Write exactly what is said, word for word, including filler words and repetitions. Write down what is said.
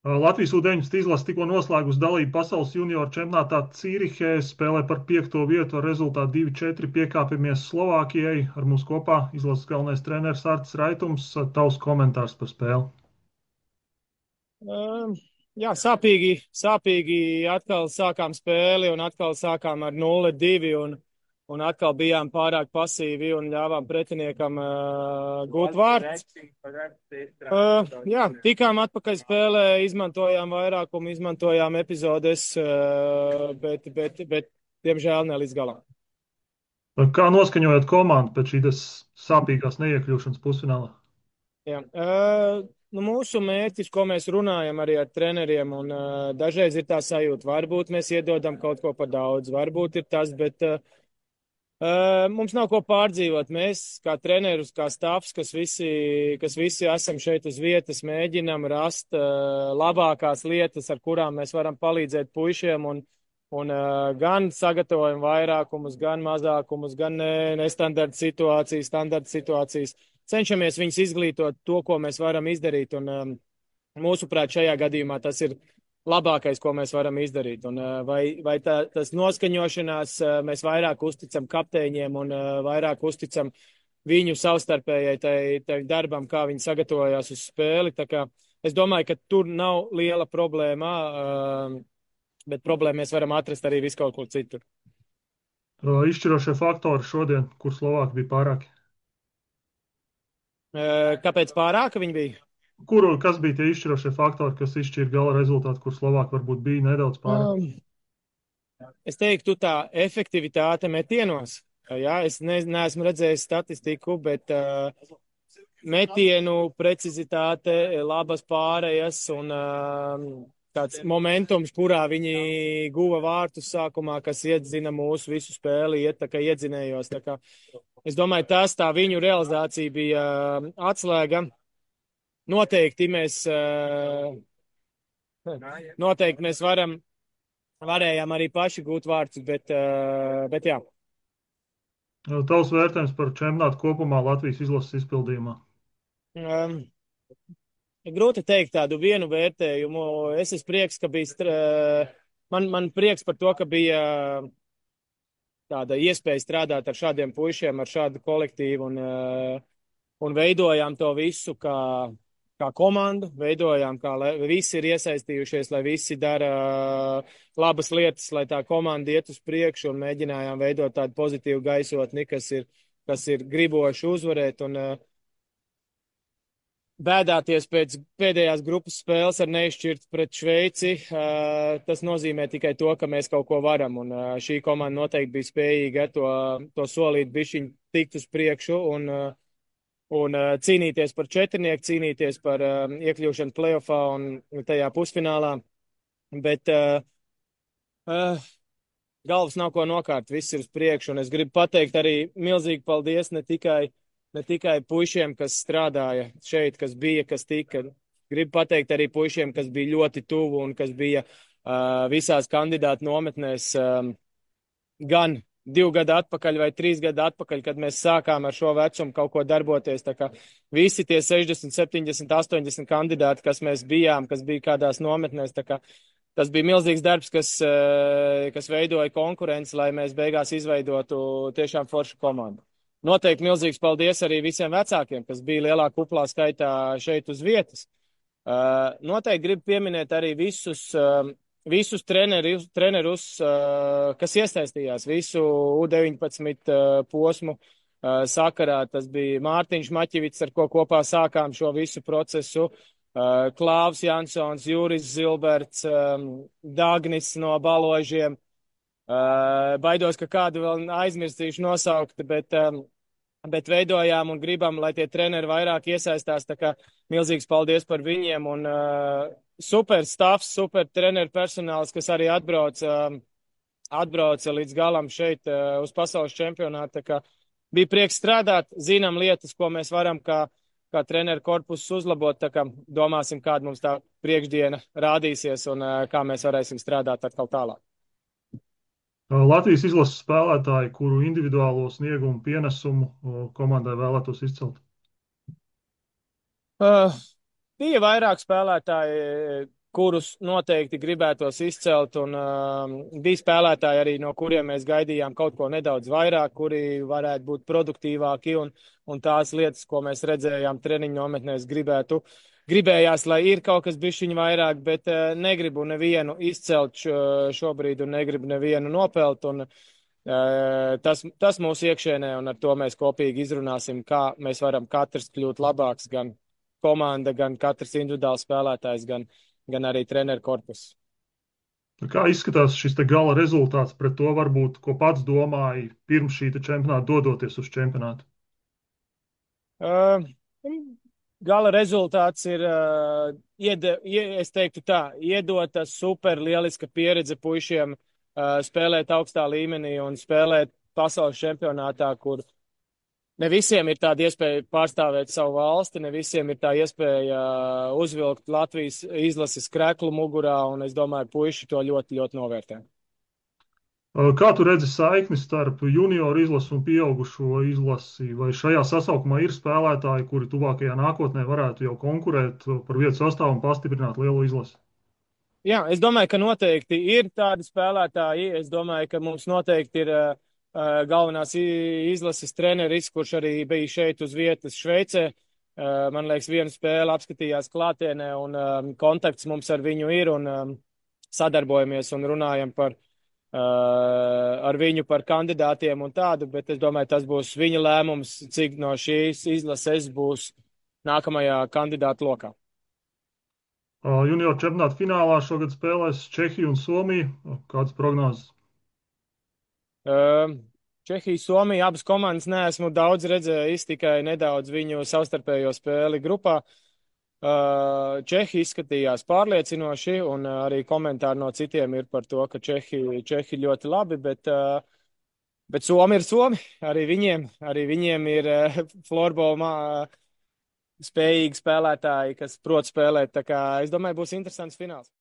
Latvijas U deviņpadsmit izlase tikko noslēgusi dalību pasaules junioru čempionātā Cīrihē, spēlē par piekto vietu ar rezultātu divi četri piekāpjamies Slovākijai. Ar mums kopā izlases galvenais treneris Artis Raitums. Tavs komentārs par spēli. Um, jā, sāpīgi, sāpīgi atkal sākām spēli un atkal sākām ar nulle divi un, un atkal bijām pārāk pasīvi un ļāvām pretiniekam uh, gūt vārds. Uh, jā, tikām atpakaļ spēlē, izmantojām vairākumu, izmantojām epizodes, uh, bet, bet, bet, diemžēl, ne līdz galam. Kā noskaņojat komandu pēc šīs sāpīgās neiekļūšanas pusfinālā? Jā. Uh, nu, mūsu mērķis, ko mēs runājam arī ar treneriem, un uh, dažreiz ir tā sajūta, varbūt mēs iedodam kaut ko par daudz, varbūt ir tas, bet uh, uh, mums nav ko pārdzīvot. Mēs, kā trenerus, kā stāvs, kas visi, kas visi esam šeit uz vietas, mēģinam rast uh, labākās lietas, ar kurām mēs varam palīdzēt puišiem, un, un uh, gan sagatavojam vairākumus, gan mazākumus, gan ne, nestandarta situācijas, standarta situācijas. Cenšamies viņus izglītot to, ko mēs varam izdarīt, un um, mūsuprāt, šajā gadījumā tas ir labākais, ko mēs varam izdarīt. Un, uh, vai vai tā, tas noskaņošanās uh, mēs vairāk uzticam kapteiņiem un uh, vairāk uzticam viņu savstarpējai tai, tai darbam, kā viņi sagatavojās uz spēli. Tā kā es domāju, ka tur nav liela problēma, uh, bet problēmu mēs varam atrast arī vis kaut kur citur. Izšķirošie faktori šodien, kur Slovāki bija pārāki? Uh, kāpēc pārāka viņi bija? Kuru, kas bija tie izšķirošie faktori, kas izšķīra gala rezultātu, kur Slovāki varbūt bija nedaudz pārāk? Um, es teiktu, tā efektivitāte metienos. Jā, es ne, neesmu redzējis statistiku, bet uh, metienu precizitāte, labas pārējas un uh, tāds momentums, kurā viņi guva vārtus sākumā, kas iedzina mūsu visu spēli, iet tā kā iedzinējos. Tā kā es domāju, tas tā viņu realizācija bija uh, atslēga. Noteikti mēs, uh, noteikti mēs varam, varējām arī paši gūt vārdus, bet, uh, bet jā. Tavs vērtējums par čempionātu kopumā Latvijas izlases izpildījumā? Um, grūti teikt tādu vienu vērtējumu. Es esmu prieks, ka bija, stra... man, man prieks par to, ka bija tāda iespēja strādāt ar šādiem puišiem, ar šādu kolektīvu un, un veidojām to visu kā, kā komandu, veidojām, kā lai visi ir iesaistījušies, lai visi dara labas lietas, lai tā komanda iet uz priekšu un mēģinājām veidot tādu pozitīvu gaisotni, kas ir, kas ir griboši uzvarēt un bēdāties pēc pēdējās grupas spēles ar neizšķirtu pret Šveici, tas nozīmē tikai to, ka mēs kaut ko varam, un šī komanda noteikti bija spējīga to, to solīt bišķiņ tikt uz priekšu un, un cīnīties par četrnieku, cīnīties par iekļūšanu playoffā un tajā pusfinālā, bet uh, uh, galvas nav ko nokārt, viss ir uz priekšu, un es gribu pateikt arī milzīgi paldies ne tikai Ne tikai puišiem, kas strādāja šeit, kas bija, kas tika. Gribu pateikt arī puišiem, kas bija ļoti tuvu un kas bija uh, visās kandidātu nometnēs um, gan divu gadu atpakaļ vai trīs gadu atpakaļ, kad mēs sākām ar šo vecumu kaut ko darboties. Tā kā visi tie sešdesmit, septiņdesmit, astoņdesmit kandidāti, kas mēs bijām, kas bija kādās nometnēs, tā kā tas bija milzīgs darbs, kas, uh, kas veidoja konkurenci, lai mēs beigās izveidotu tiešām foršu komandu. Noteikti milzīgs paldies arī visiem vecākiem, kas bija lielā kuplā skaitā šeit uz vietas. Uh, noteikti gribu pieminēt arī visus, uh, visus trenerus, trenerus uh, kas iesaistījās visu U deviņpadsmit uh, posmu uh, sakarā. Tas bija Mārtiņš Maķivits, ar ko kopā sākām šo visu procesu. Uh, Klāvs Jansons, Juris Zilberts, um, Dagnis no Baložiem. Uh, baidos, ka kādu vēl aizmirstīšu nosaukt, bet... Um, bet veidojām un gribam, lai tie treneri vairāk iesaistās, tā kā milzīgs paldies par viņiem un uh, super stāvs, super treneru personāls, kas arī atbrauc, uh, atbrauca līdz galam šeit uh, uz pasaules čempionātu, tā kā bija prieks strādāt, zinām lietas, ko mēs varam kā, kā treneru korpusus uzlabot, tā kā domāsim, kāda mums tā priekšdiena rādīsies un uh, kā mēs varēsim strādāt atkal tālāk. Latvijas izlases spēlētāji, kuru individuālo sniegumu pienesumu komandai vēlētos izcelt? Uh, bija vairāk spēlētāji, kurus noteikti gribētos izcelt, un uh, bija spēlētāji arī, no kuriem mēs gaidījām kaut ko nedaudz vairāk, kuri varētu būt produktīvāki, un, un tās lietas, ko mēs redzējām treniņu nometnēs, gribētu, gribējās, lai ir kaut kas bišķiņ vairāk, bet uh, negribu nevienu izcelt šo, šobrīd, un negribu nevienu nopelt, un uh, tas, tas mūsu iekšēnē, un ar to mēs kopīgi izrunāsim, kā mēs varam katrs kļūt labāks, gan komanda, gan katrs individuāls spēlētājs, gan gan arī treneru korpusu. Kā izskatās šis te gala rezultāts pret to, varbūt, ko pats domāji pirms šī čempionāta dodoties uz čempionātu? Uh, gala rezultāts ir, uh, iede, ie, es teiktu tā, iedota super lieliska pieredze puišiem uh, spēlēt augstā līmenī un spēlēt pasaules čempionātā, kur ne visiem ir tāda iespēja pārstāvēt savu valsti, ne visiem ir tā iespēja uzvilkt Latvijas izlases kreklu mugurā, un es domāju, puiši to ļoti, ļoti novērtē. Kā tu redzi saikni starp junioru izlasi un pieaugušo izlasi? Vai šajā sasaukumā ir spēlētāji, kuri tuvākajā nākotnē varētu jau konkurēt par vietu sastāvu un pastiprināt lielu izlasi? Jā, es domāju, ka noteikti ir tādi spēlētāji. Es domāju, ka mums noteikti ir uh, galvenās izlases treneris, kurš arī bija šeit uz vietas Šveicē. Man liekas, vienu spēli apskatījās klātienē, un um, kontakts mums ar viņu ir, un um, sadarbojamies un runājam par, uh, ar viņu par kandidātiem un tādu, bet es domāju, tas būs viņa lēmums, cik no šīs izlases būs nākamajā kandidātu lokā. Junior čempionāta finālā šogad spēlēs Čehija un Somija. Kādas prognozes? Čehija, Somija, abas komandas neesmu daudz redzējis, tikai nedaudz viņu savstarpējo spēli grupā. Čehi izskatījās pārliecinoši, un arī komentāri no citiem ir par to, ka Čehi, Čehi ļoti labi, bet, bet Somi ir Somi. Arī viņiem, arī viņiem ir florbolā spējīgi spēlētāji, kas prot spēlēt. Tā kā es domāju, būs interesants fināls.